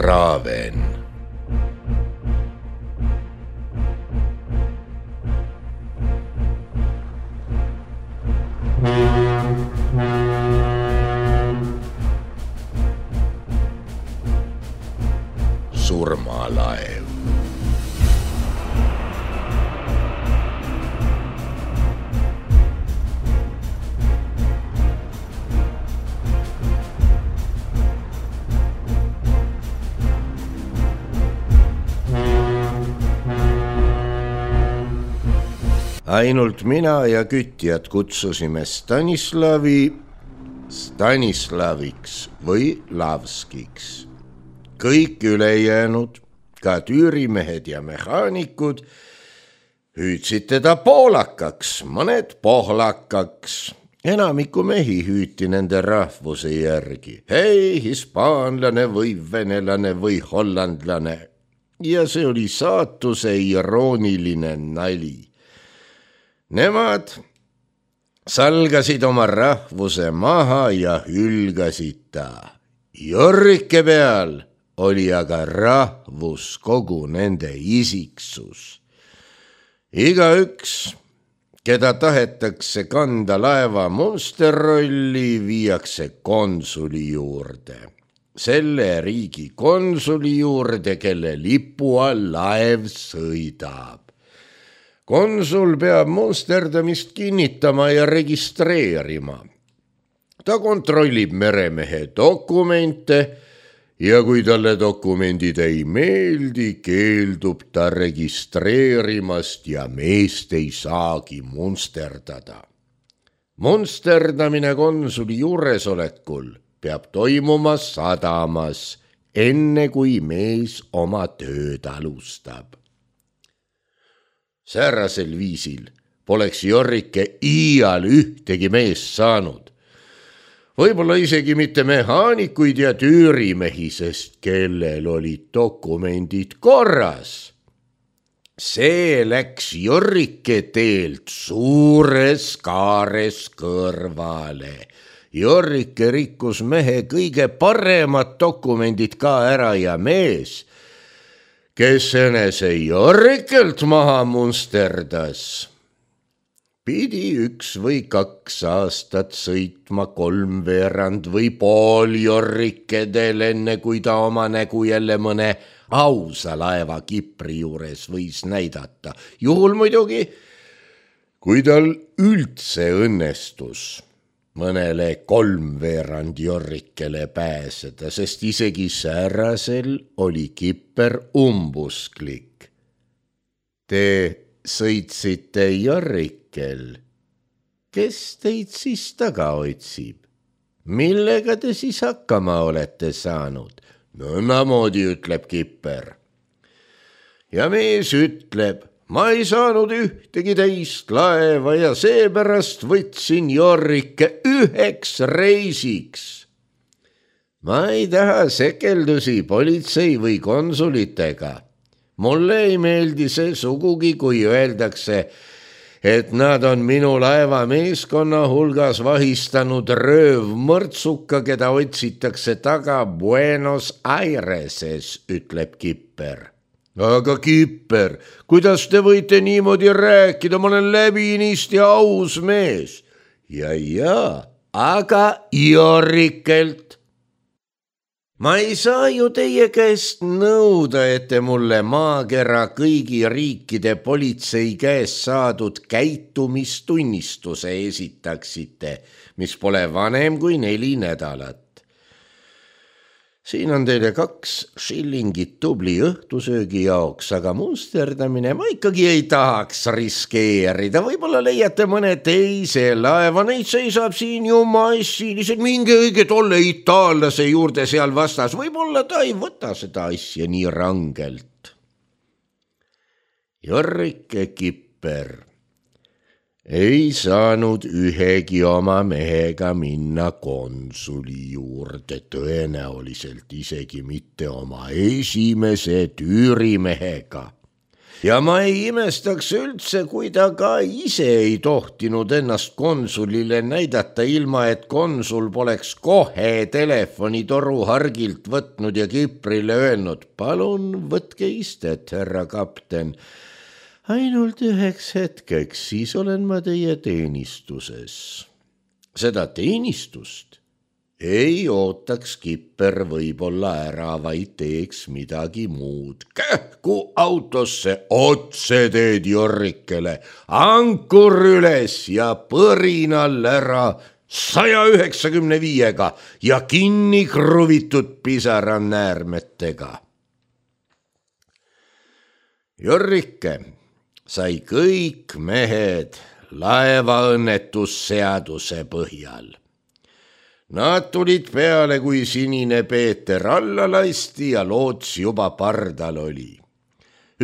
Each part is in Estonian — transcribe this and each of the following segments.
Straven. Surmalaev. Ainult mina ja kütjad kutsusime Stanislaviks või Lavskiks. Kõik ülejäänud, ka tüürimehed ja mehaanikud, hüüdsid teda poolakaks, mõned pohlakaks. Enamiku mehi hüüti nende rahvuse järgi. Hei, hispaanlane või venelane või hollandlane. Ja see oli saatuse irooniline nali. Nemad salgasid oma rahvuse maha ja hülgasid ta. Jorrike peal oli aga rahvus, kogu nende isiksus. Igaüks, keda tahetakse kanda laeva monsterrolli, viiakse konsuli juurde. Selle riigi konsuli juurde, kelle lipu all laev sõidab. Konsul peab monsterdamist kinnitama ja registreerima. Ta kontrollib meremehe dokumente ja kui talle dokumendid ei meeldi, keeldub ta registreerimast ja meest ei saagi monsterdada. Monsterdamine konsuli juuresolekul peab toimuma sadamas, enne kui mees oma tööd alustab. Säärasel viisil poleks Jorrike iial ühtegi meest saanud. Võib-olla isegi mitte mehaanikuid ja tüürimehi, sest kellel olid dokumendid korras. See läks Jorrike teelt suures kaares kõrvale. Jorrike rikkus mehe kõige paremad dokumendid ka ära ja mees, kes enese Jorrikelt maha munsterdas, pidi 1 või 2 aastat sõitma 3/4 või pool Jorrikedel, enne kui ta oma nägu jälle mõne ausa laeva Kipri juures võis näidata. Juhul muidugi, kui tal üldse õnnestus mõnele 3/4 Jorrikele pääseda, sest isegi säärasel oli Kipper umbusklik. Te sõitsite Jorrikel. Kes teid siis taga otsib? Millega te siis hakkama olete saanud? Nõndamoodi, ütleb Kipper. Ja mees ütleb, ma ei saanud ühtegi teist laeva ja seepärast võtsin Jorrike 1 reisiks. Ma ei taha sekeldusi politsei või konsulitega. Mulle ei meeldi see sugugi, kui öeldakse, et nad on minu laeva meeskonna hulgas vahistanud röövmõrtsuka, keda otsitakse taga Buenos Aireses, ütleb Kipper. Aga Kipper, kuidas te võite niimoodi rääkida, ma olen läbinisti aus mees. Ja, aga Jorrikelt. Ma ei saa ju teie käest nõuda, et te mulle maakera kõigi riikide politsei käest saadud käitumistunnistuse esitaksite, mis pole vanem kui 4 nädalat. Siin on teile 2 shillingit tubli õhtusöögi jaoks, aga munsterdamine ma ikkagi ei tahaks riskeerida. Võib-olla leiate mõne teise laeva, neid seisab siin ju massiiliselt. Minge õige tolle itaallase juurde seal vastas. Võib-olla ta ei võta seda asja nii rangelt. Jorrike Kipper ei saanud ühegi oma mehega minna konsuli juurde, tõenäoliselt isegi mitte oma esimese tüürimehega. ja ma ei imestaks üldse, kui ta ka ise ei tohtinud ennast konsulile näidata, ilma et konsul poleks kohe telefonitoru hargilt võtnud ja Kiprile öelnud: palun võtke istet, härra kapten. Ainult 1 hetkeks, siis olen ma teie teenistuses. Seda teenistust ei ootaks Kipper võib-olla ära, vaid teeks midagi muud. Kähku autosse, otse teed Jorrikele, ankur üles ja põrinal ära 195-ga ja kinni kruvitud pisaranäärmetega. Jorrike sai kõik mehed laevaõnnetusseaduse põhjal. Nad tulid peale, kui Sinine Peeter alla lasti ja loots juba pardal oli.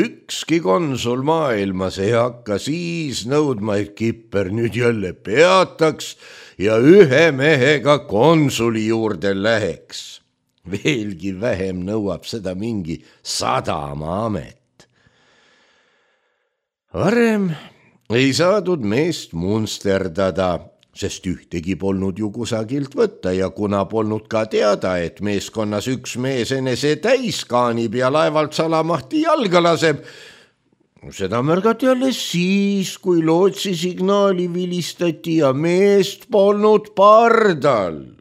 Ükski konsul maailmas ei hakka siis nõudma, et Kipper nüüd jälle peataks ja 1 mehega konsuli juurde läheks. Veelgi vähem nõuab seda mingi sadamaamet. Varem ei saadud meest munsterdada, sest ühtegi polnud ju kusagilt võtta ja kuna polnud ka teada, et meeskonnas üks mees enese täis kaanib ja laevalt salamahti jalga laseb, seda märgati alles siis, kui lootsi signaali vilistati ja meest polnud pardal.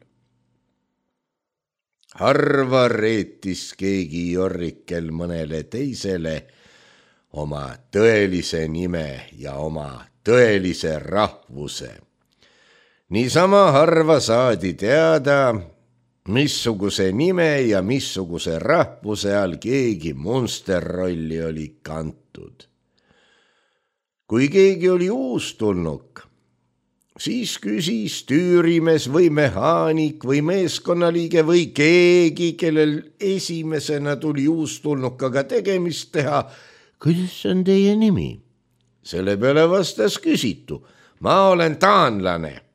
Harva reetis keegi Jorrikel mõnele teisele oma tõelise nime ja oma tõelise rahvuse. Niisama harva saadi teada, missuguse nime ja missuguse rahvuse all keegi munsterrolli oli kantud. Kui keegi oli uustulnuk, siis küsis tüürimees või mehaanik või meeskonnaliige või keegi, kellel esimesena tuli uustulnukaga tegemist teha: kuidas on teie nimi? Selle peale vastas küsitu: ma olen taanlane.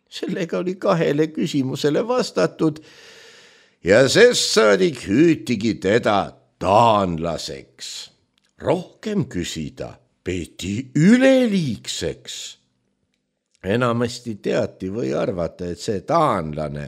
Sellega oli 2 küsimusele vastatud ja sest saadik hüütigi teda taanlaseks. Rohkem küsida peeti üleliigseks. Enamasti teati või arvata, et see taanlane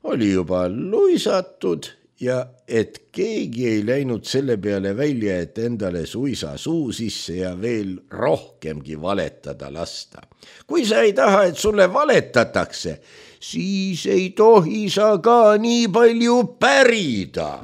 oli juba luisatud ja et keegi ei läinud selle peale välja, et endale suisa suu sisse ja veel rohkemgi valetada lasta. Kui sa ei taha, et sulle valetatakse, siis ei tohi sa ka nii palju pärida.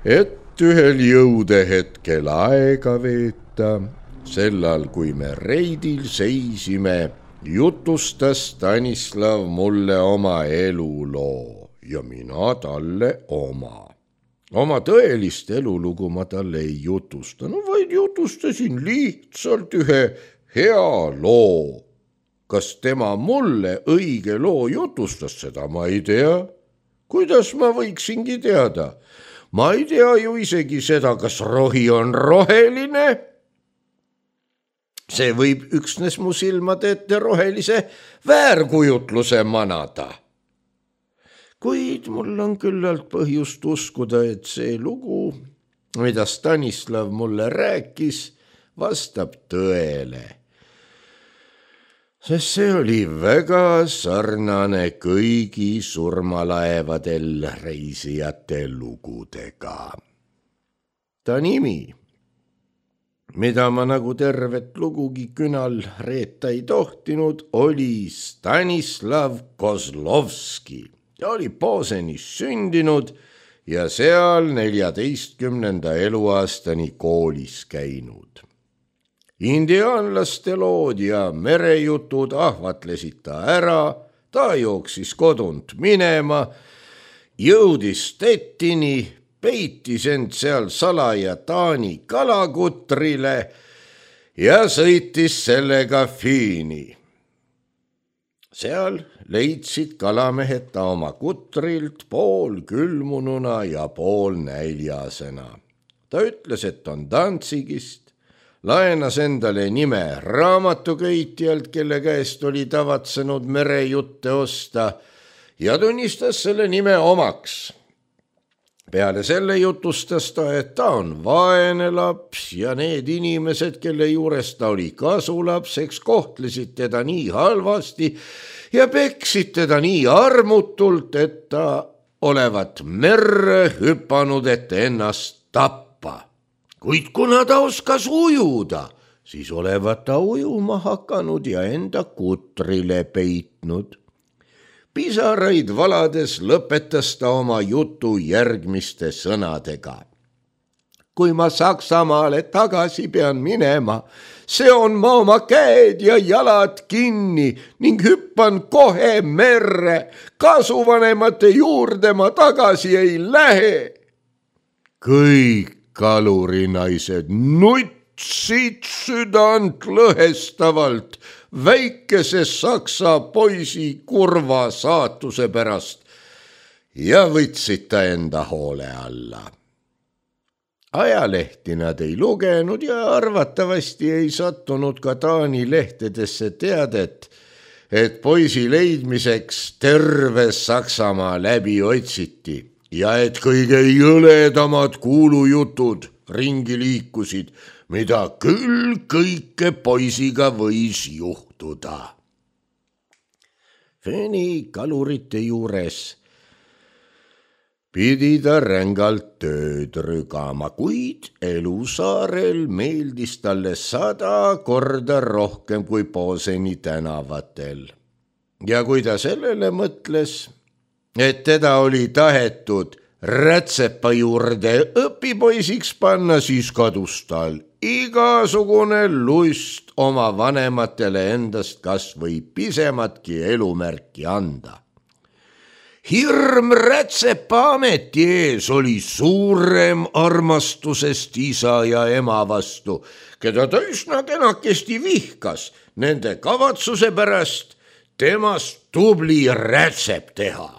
Et ühel jõudehetkel aega veeta, sellal kui me reidil seisime, jutustas Stanislav mulle oma eluloo ja mina talle oma. Oma tõelist elulugu ma talle ei jutustanud, vaid jutustasin lihtsalt ühe hea loo. Kas tema mulle õige loo jutustas, seda ma ei tea. Kuidas ma võiksingi teada? Ma ei tea ju isegi seda, kas rohi on roheline. See võib üksnes mu silmade ette rohelise väärkujutluse manada. Kuid mul on küllalt põhjust uskuda, et see lugu, mida Stanislav mulle rääkis, vastab tõele. Sest see oli väga sarnane kõigi surmalaevadel reisijate lugudega. Ta nimi, mida ma nagu tervet lugugi künal reeta ei tohtinud, oli Stanislav Kozlovski. Ta oli Pozenis sündinud ja seal 14. eluaastani koolis käinud. indiaanlaste lood ja merejutud ahvatlesid ta ära, ta jooksis kodunt minema, jõudis Stettini, peitis end seal salaja Taani kalakutrile ja sõitis sellega Fiini. Seal leidsid kalamehed ta oma kutrilt pool külmununa ja pool näljasena. Ta ütles, et on Danzigist, laenas endale nime raamatuköitjalt, kelle käest oli tavatsenud merejutte osta, ja tunnistas selle nime omaks. Peale selle jutustas ta, et ta on vaene laps ja need inimesed, kelle juures ta oli kasulapseks, kohtlesid teda nii halvasti ja peksid teda nii armutult, et ta olevat merre hüpanud, et ennast tappa. Kuid kuna ta oskas ujuda, siis olevat ta ujuma hakanud ja enda kutrile peitnud. Pisaraid valades lõpetas ta oma jutu järgmiste sõnadega. Kui ma Saksamaale tagasi pean minema, seon ma oma käed ja jalad kinni ning hüppan kohe merre. Kasuvanemate juurde ma tagasi ei lähe. Kõik kalurinaised nutsid südant lõhestavalt väikese saksa poisi kurva saatuse pärast ja võtsid ta enda hoole alla. Ajalehti nad ei lugenud ja arvatavasti ei sattunud ka Taani lehtedesse teadet, et poisi leidmiseks terve Saksamaa läbi otsiti ja et kõige jõledamad kuulujutud ringi liikusid, mida küll kõike poisiga võis juhtuda. Fiini kalurite juures pidi ta rängalt tööd rügama, kuid elusaarel meeldis talle 100 korda rohkem kui Boseni tänavatel. Ja kui ta sellele mõtles, et teda oli tahetud rätsepa juurde õpipoisiks panna, siis kadus tal igasugune lust oma vanematele endast kas või pisematki elumärki anda. Hirm rätsepa ameti ees oli suurem armastusest isa ja ema vastu, keda ta üsna kenakesti vihkas nende kavatsuse pärast temast tubli rätsep teha.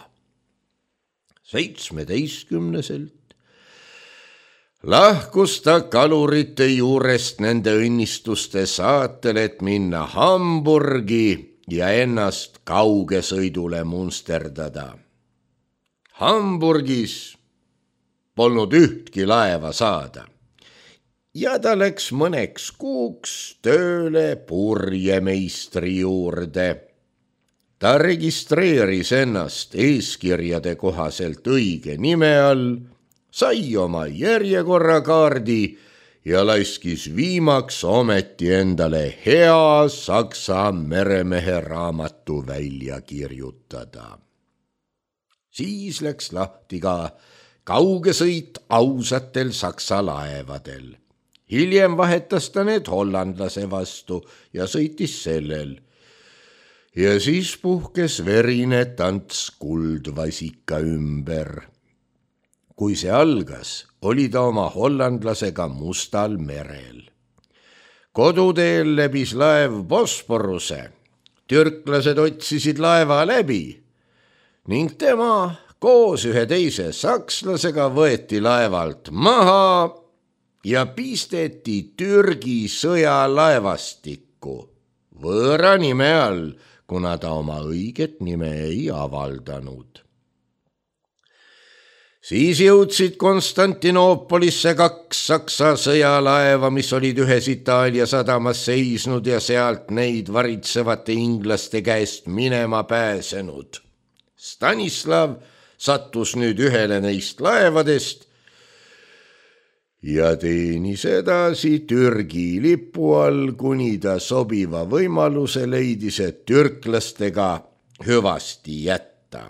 17-selt lahkus ta kalurite juurest nende õnnistuste saatel, et minna Hamburgi ja ennast kaugesõidule munsterdada. Hamburgis polnud ühtki laeva saada ja ta läks mõneks kuuks tööle purjemeistri juurde. Ta registreeris ennast eeskirjade kohaselt õige nime all, sai oma järjekorrakaardi ja laiskis viimaks ometi endale hea Saksa meremehe raamatu välja kirjutada. Siis läks lahti ka kaugesõit ausatel Saksa laevadel. Hiljem vahetas ta need hollandlase vastu ja sõitis sellel. Ja siis puhkes verine tants kuldvasika ümber. Kui see algas, oli ta oma hollandlasega Mustal merel. Koduteel läbis laev Bosporuse. Türklased otsisid laeva läbi ning tema koos ühe teise sakslasega võeti laevalt maha ja pisteti Türgi sõjalaevastikku võõra nime all, kuna ta oma õiget nime ei avaldanud. Siis jõudsid Konstantinoopolisse 2 Saksa sõjalaeva, mis olid ühes Itaalia sadamas seisnud ja sealt neid varitsevate inglaste käest minema pääsenud. Stanislav sattus nüüd ühele neist laevadest ja teenis edasi Türgi lipu all, kuni ta sobiva võimaluse leidis, et türklastega hüvasti jätta.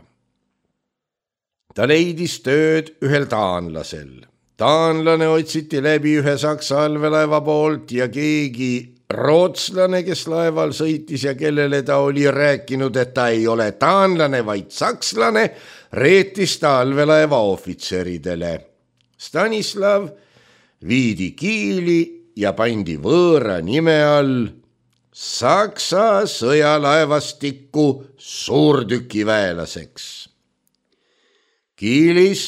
Ta leidis tööd ühel taanlasel. Taanlane otsiti läbi ühe Saksa allveelaeva poolt ja keegi rootslane, kes laeval sõitis ja kellele ta oli rääkinud, et ta ei ole taanlane, vaid sakslane, reetis ta allveelaeva ohvitseridele. Stanislav viidi Kiili ja pandi võõra nime all Saksa sõjalaevastikku suurtükiväelaseks. Kiilis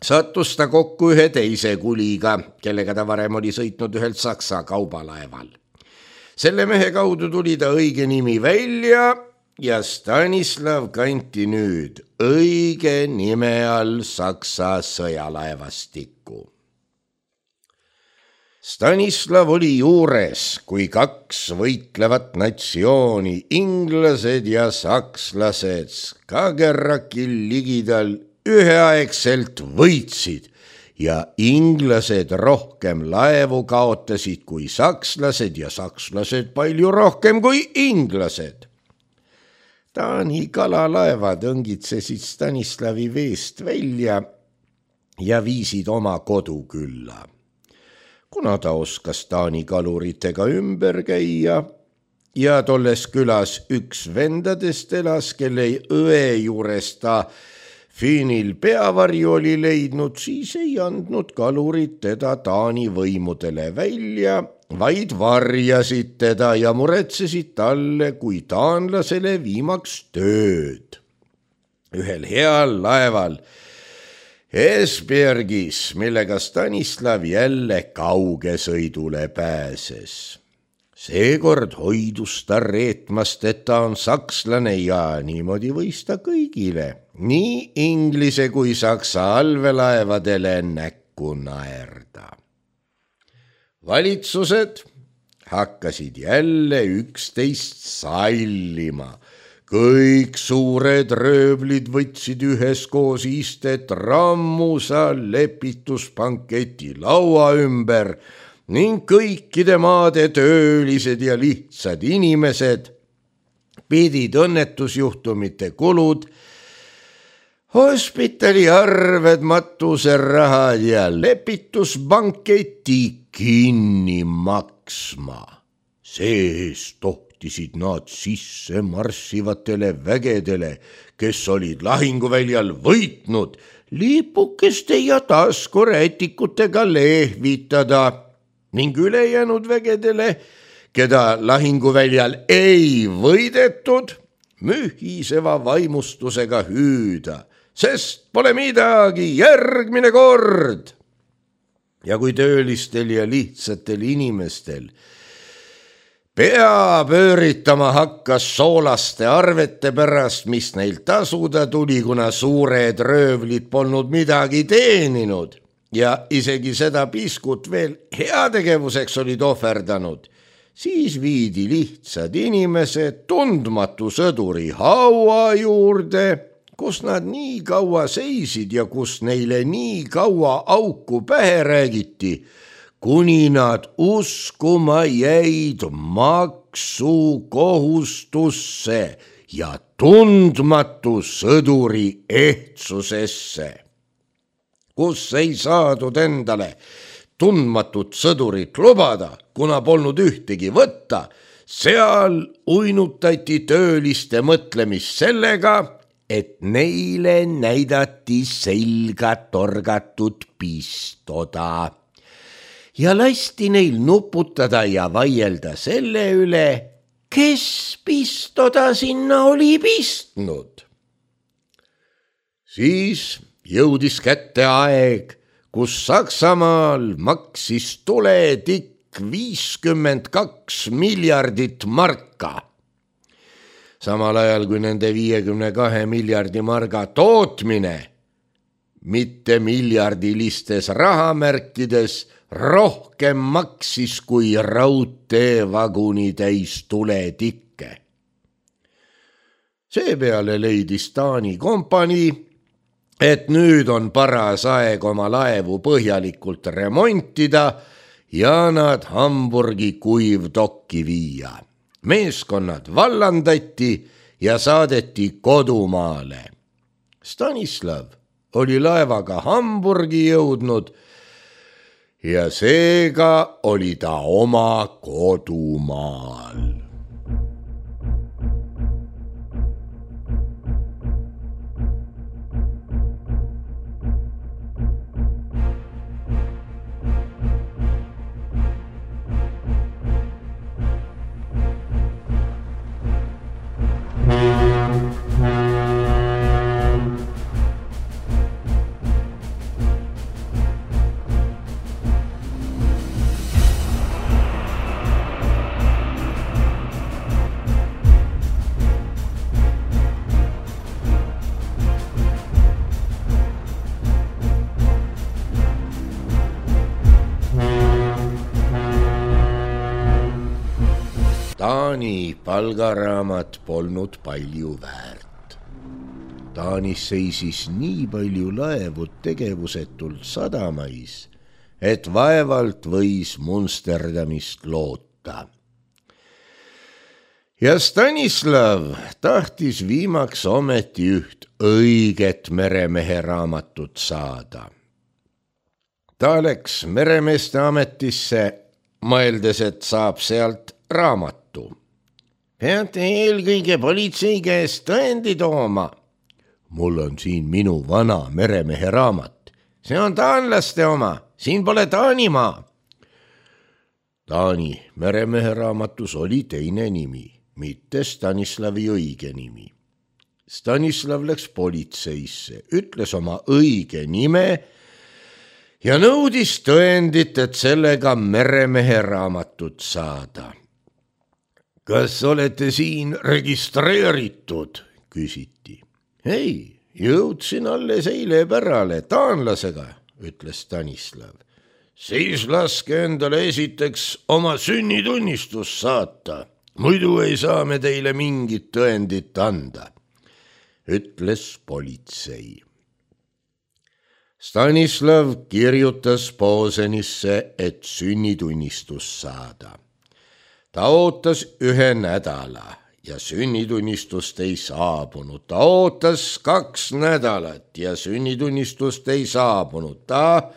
sattus ta kokku ühe teise kuliga, kellega ta varem oli sõitnud ühelt Saksa kaubalaeval. Selle mehe kaudu tuli ta õige nimi välja ja Stanislav kanti nüüd õige nime all Saksa sõjalaevastikku. Stanislav oli juures, kui kaks võitlevat natsiooni, inglased ja sakslased, Skagerrakil ligidal üheaegselt võitsid ja inglased rohkem laevu kaotasid kui sakslased ja sakslased palju rohkem kui inglased. Taani kalalaevad õngitsesid Stanislavi veest välja ja viisid oma kodukülla. Kuna ta oskas Taani kaluritega ümber käia ja tolles külas üks vendadest elas, kelle õe juures ta Fiinil peavarju oli leidnud, siis ei andnud kalurid teda Taani võimudele välja, vaid varjasid teda ja muretsesid talle kui taanlasele viimaks tööd. Ühel heal laeval Esbjergis, millega Stanislav jälle kaugesõidule pääses. Seekord hoidus ta reetmast, et ta on sakslane ja niimoodi võis ta kõigile, nii inglise kui saksa allveelaevadele näkku naerda. Valitsused hakkasid jälle üksteist sallima. Kõik suured röövlid võtsid üheskoos istet rammusa lepituspanketi laua ümber ning kõikide maade töölised ja lihtsad inimesed pidid õnnetusjuhtumite kulud, hospitaliarved, matuserahad ja lepituspanketi kinni maksma. See-eest tohtisid nad sisse marssivatele vägedele, kes olid lahinguväljal võitnud, lipukeste ja taskurätikutega lehvitada ning ülejäänud vägedele, keda lahinguväljal ei võidetud, mühiseva vaimustusega hüüda, sest pole midagi, järgmine kord. Ja kui töölistel ja lihtsatel inimestel pea pööritama hakkas soolaste arvete pärast, mis neil tasuda tuli, kuna suured röövlid polnud midagi teeninud ja isegi seda piskut veel heategevuseks olid ohverdanud, siis viidi lihtsad inimesed tundmatu sõduri haua juurde, kus nad nii kaua seisid ja kus neile nii kaua auku pähe räägiti, kuni nad uskuma jäid maksukohustusse ja tundmatu sõduri ehtsusesse. Kus ei saadud endale tundmatut sõdurit lubada, kuna polnud ühtegi võtta, seal uinutati tööliste mõtlemist sellega, et neile näidati selga torgatud pistoda ja lasti neil nuputada ja vaielda selle üle, kes pistoda sinna oli pistnud. Siis jõudis kätte aeg, kus Saksamaal maksis tuletikk 52 miljardit marka. Samal ajal kui nende 52 miljardi marga tootmine, mitte miljardilistes rahamärkides, rohkem maksis kui raudteevaguni täis tuletikke. Seepeale leidis Taani kompanii, et nüüd on paras aeg oma laevu põhjalikult remontida ja nad Hamburgi kuivdokki viia. Meeskonnad vallandati ja saadeti kodumaale. Stanislav oli laevaga Hamburgi jõudnud ja seega oli ta oma kodumaal. Taani palgaraamat polnud palju väärt. Taanis seisis nii palju laevu tegevusetult sadamais, et vaevalt võis Munsterdamist loota. Ja Stanislav tahtis viimaks ometi üht õiget meremehe raamatut saada. Ta läks meremeeste ametisse, mõeldes, et saab sealt raamatu. Peate eelkõige politsei käest tõendi tooma. Mul on siin minu vana meremehe raamat. See on taanlaste oma, siin pole Taanimaa. Taani meremehe raamatus oli teine nimi, mitte Stanislavi õige nimi. Stanislav läks politseisse, ütles oma õige nime ja nõudis tõendit, et sellega meremehe raamatut saada. Kas olete siin registreeritud, küsiti. Ei, jõudsin alles eile pärale taanlasega, ütles Stanislav. Siis laske endale esiteks oma sünnitunnistus saata, muidu ei saa me teile mingit tõendit anda, ütles politsei. Stanislav kirjutas Posenisse, et sünnitunnistus saada. Ta ootas 1 nädala ja sünnitunnistust ei saabunud. Ta ootas 2 nädalat ja sünnitunnistust ei saabunud. Ta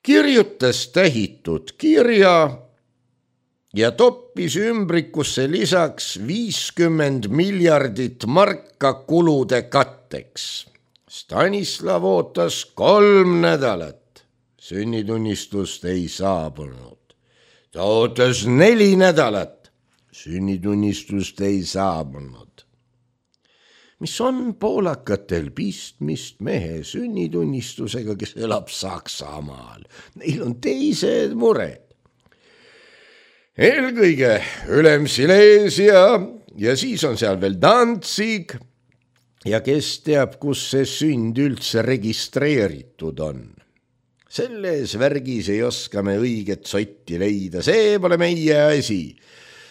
kirjutas tähitud kirja ja toppis ümbrikusse lisaks 50 miljardit marka kulude katteks. Stanislav ootas 3 nädalat. Sünnitunnistust ei saabunud. Ta ootas 4 nädalat. Sünnitunnistust ei saabunud. Mis on poolakatel pistmist mehe sünnitunnistusega, kes elab Saksamaal? Neil on teised mured. Eelkõige Ülemsilesia ja siis on seal veel Danzig ja kes teab, kus see sünd üldse registreeritud on. Selles värgis ei oska me õiget sotti leida, see pole meie asi.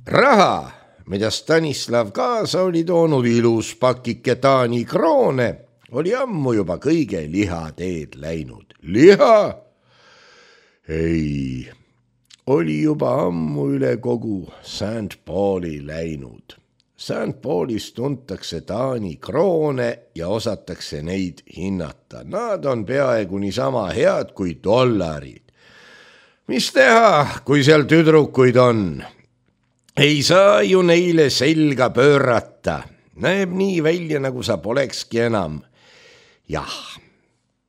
Raha, mida Stanislav kaasa oli toonud, ilus pakike Taani kroone, oli ammu juba kõige lihateed läinud. Liha? Ei, oli juba ammu üle kogu St. Pauli läinud. St. Paulis tuntakse Taani kroone ja osatakse neid hinnata. Nad on peaaegu niisama head kui dollarid. Mis teha, kui seal tüdrukuid on? Ei saa ju neile selga pöörata. Näeb nii välja, nagu sa polekski enam. Jah,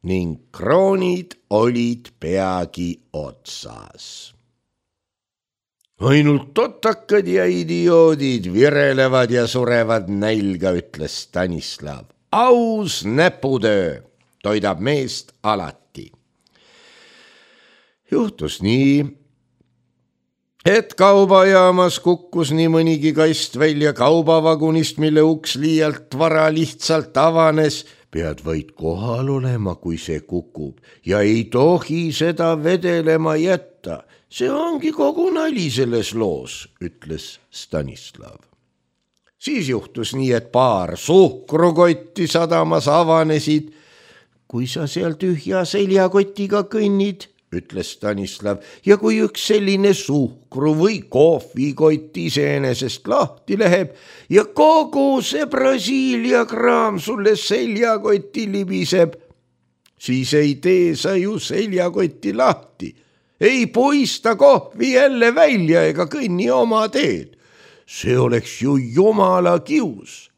ning kroonid olid peagi otsas. Ainult totakad ja idioodid virelevad ja surevad nälga, ütles Stanislav. Aus näputöö toidab meest alati. Juhtus nii, et kaubajaamas kukkus nii mõnigi kast välja kaubavagunist, mille uks liialt vara lihtsalt avanes. Pead vaid kohal olema, kui see kukub ja ei tohi seda vedelema jätta. See ongi kogu nali selles loos, ütles Stanislav. Siis juhtus nii, et paar suhkrukotti sadamas avanesid. Kui sa seal tühja seljakotiga kõnnid, ütles Stanislav, ja kui üks selline suhkru või kohvikott iseenesest lahti läheb ja kogu see Brasiilia kraam sulle seljakotti libiseb, siis ei tee sa ju seljakotti lahti, ei puista kohvi jälle välja ega kõnni oma teed. See oleks ju jumala kius.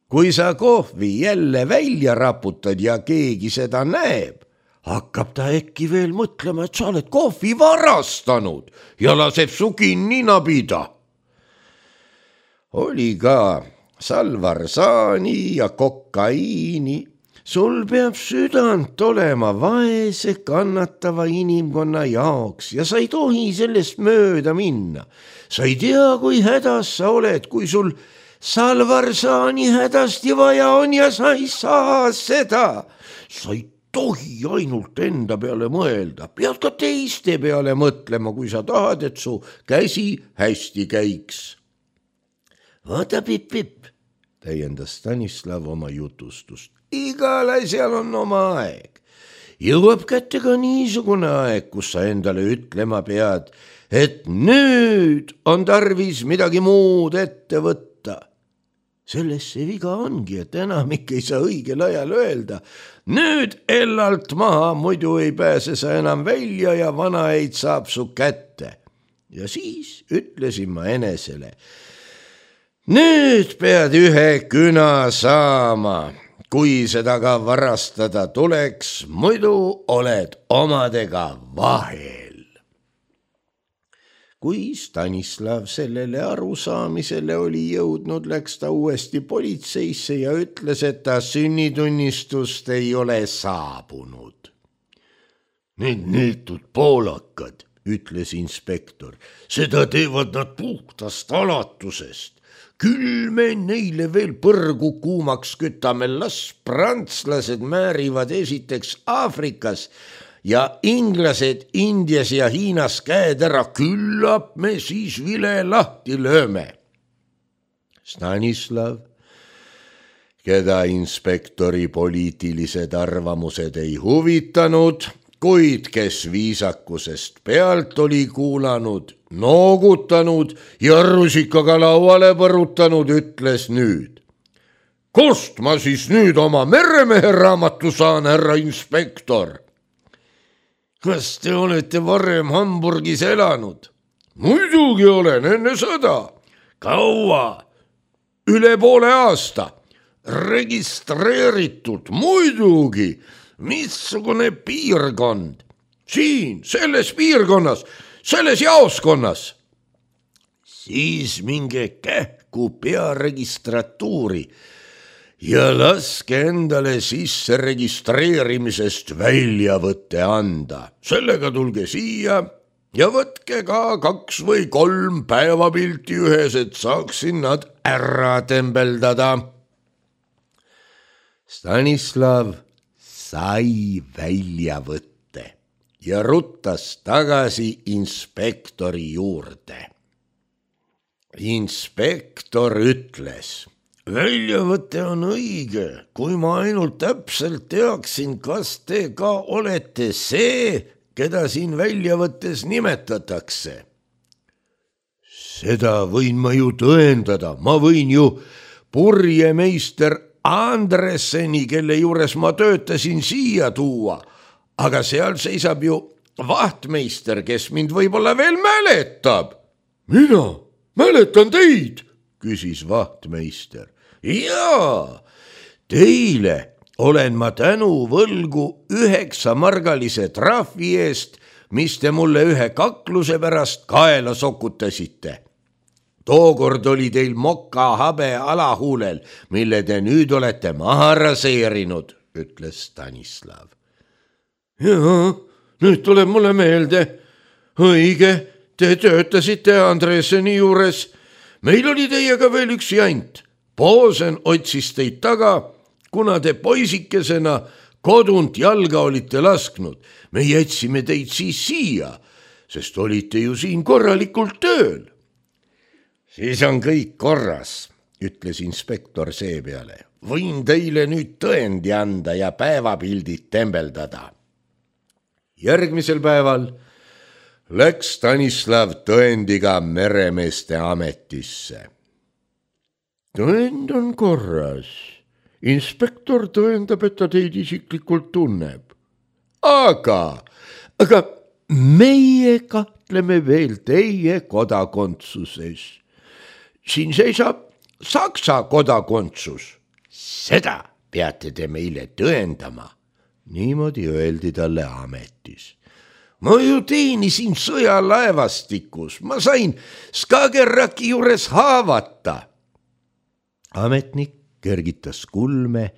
Kui sa kohvi jälle välja raputad ja keegi seda näeb, hakkab ta äkki veel mõtlema, et sa oled kohvi varastanud ja laseb su kinni nabida. Oli ka salvarsaani ja kokaiini. Sul peab südant olema vaese kannatava inimkonna jaoks ja sa ei tohi sellest mööda minna. Sa ei tea, kui hädas sa oled, kui sul salvarsaani hädasti vaja on ja sa ei saa seda. Sa ei tohi ainult enda peale mõelda, pead ka teiste peale mõtlema, kui sa tahad, et su käsi hästi käiks. Vaata Pipp, täiendas Stanislav oma jutustust. Igal asjal on oma aeg. Jõuab kätte ka niisugune aeg, kus sa endale ütlema pead, et nüüd on tarvis midagi muud ette võtta. Selles see viga ongi, et enamik ei saa õigel ajal öelda. Nüüd ellalt maha, muidu ei pääse sa enam välja ja vanaeid saab su kätte. Ja siis ütlesin ma enesele, nüüd pead ühe küna saama, kui seda ka varastada tuleks, muidu oled omadega vahel. Kui Stanislav sellele arusaamisele oli jõudnud, läks ta uuesti politseisse ja ütles, et ta sünnitunnistust ei ole saabunud. Need neetud poolakad, ütles inspektor, seda teevad nad puhtast alatusest. Küll me neile veel põrgu kuumaks kütame, las prantslased määrivad esiteks Aafrikas ja inglased Indias ja Hiinas käed ära, küllap me siis vile lahti lööme. Stanislav, keda inspektori poliitilised arvamused ei huvitanud, kuid kes viisakusest pealt oli kuulanud, noogutanud ja rusikaga lauale põrutanud, ütles nüüd. Kust ma siis nüüd oma meremehe raamatu saan, härra inspektor? Kas te olete varem Hamburgis elanud? Muidugi olen, enne sõda. Kaua? Üle poole aasta. Registreeritud, muidugi. Missugune piirkond? Siin, selles piirkonnas, selles jaoskonnas. Siis minge kähku pearegistratuuri ja laske endale sisse registreerimisest väljavõtte anda. Sellega tulge siia ja võtke ka 2 või 3 päevapilti ühes, et saaksin nad ära tembeldada. Stanislav sai väljavõtte ja ruttas tagasi inspektori juurde. Inspektor ütles, väljavõte on õige, kui ma ainult täpselt teaksin, kas te ka olete see, keda siin väljavõttes nimetatakse. Seda võin ma ju tõendada, ma võin ju purjemeister Andresseni, kelle juures ma töötasin, siia tuua, aga seal seisab ju vahtmeister, kes mind võib-olla veel mäletab. Mina mäletan teid, küsis vahtmeister. Jaa, teile olen ma tänu võlgu 9-margalise trahvi eest, mis te mulle ühe kakluse pärast kaela sokutasite. Tookord oli teil moka habe alahuulel, mille te nüüd olete maha raseerinud, ütles Stanislav. Jaa, nüüd tuleb mulle meelde. Õige, te töötasite Andresseni juures. Meil oli teiega veel üks jant. Poosen otsis teid taga, kuna te poisikesena kodunt jalga olite lasknud. Me jätsime teid siis siia, sest olite ju siin korralikult tööl. Siis on kõik korras, ütles inspektor seepeale. Võin teile nüüd tõendi anda ja päevapildid tembeldada. Järgmisel päeval läks Stanislav tõendiga meremeeste ametisse. Tõend on korras inspektor tõendab, et ta teid isiklikult tunneb. aga meie kahtleme veel teie kodakondsuses. siin seisab Saksa kodakondsus. seda peate te meile tõendama. niimoodi öeldi talle ametis. ma ju teenisin sõjalaevastikus, ma sain Skagerraki juures haavata. ametnik kergitas kulme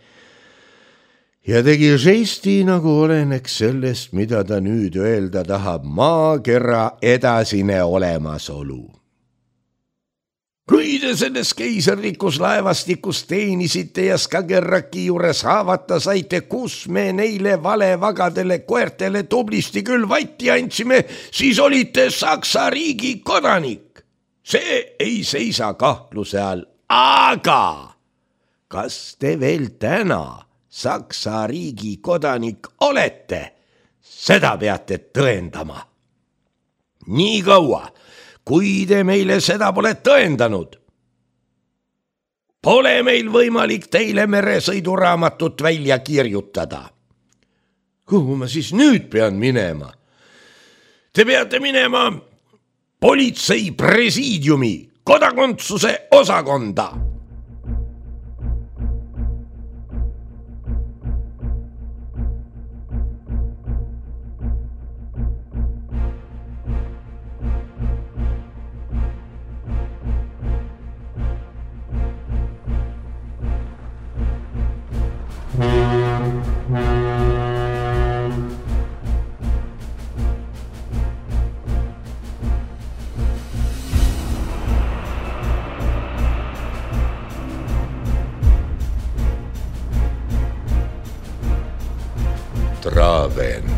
ja tegi žesti, nagu oleneks sellest, mida ta nüüd öelda tahab, maakera edasine olemasolu. kui te selles keisarlikus laevastikus teenisite ja Skagerraki juures haavata saite, kus me neile valevagadele koertele tublisti küll vatti andsime, siis olite Saksa riigi kodanik. see ei seisa kahtluse all, aga kas te veel täna Saksa riigi kodanik olete? seda peate tõendama. nii kaua, kui te meile seda pole tõendanud, pole meil võimalik teile meresõiduraamatut välja kirjutada. kuhu ma siis nüüd pean minema? Te peate minema politsei presiidiumi kodakondsuse osakonda. Traven.